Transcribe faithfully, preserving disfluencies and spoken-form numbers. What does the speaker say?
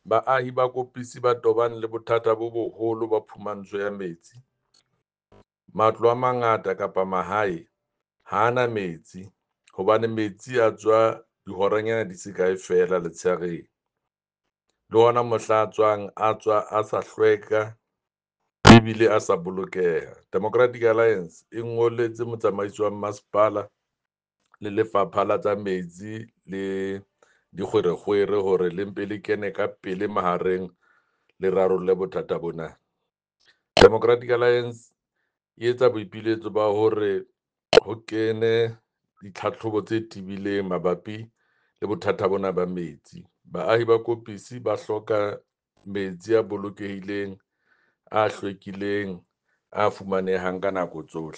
Baahi ba Koppisi ba tobane le bothata bo boholo ba phumantsho ya metsi. Matlo a mangata kapa mahae ha ana metsi hobane metsi a tswa dihoranyana di se kae feela letsheareng. Le hona mohla a tswang a tswa a sa hlweka ebile a sa bolokeha. Democratic Alliance e ngolletse motsamaisi wa masepala le Lefapha la tsa Metsi le Dikgwerekgwere hore le mpe le kene ka pele mahareng le rarolle bothata bona. Democratic Alliance e etsa boipiletso ba hore ho kene ditlhatlhobo tse tibileng mabapi le bothata bona ba metsi. Baahi ba Koppisi ba hloka metsi a bolokehileng, a hlwekileng, a fumanehang ka nako tsohle.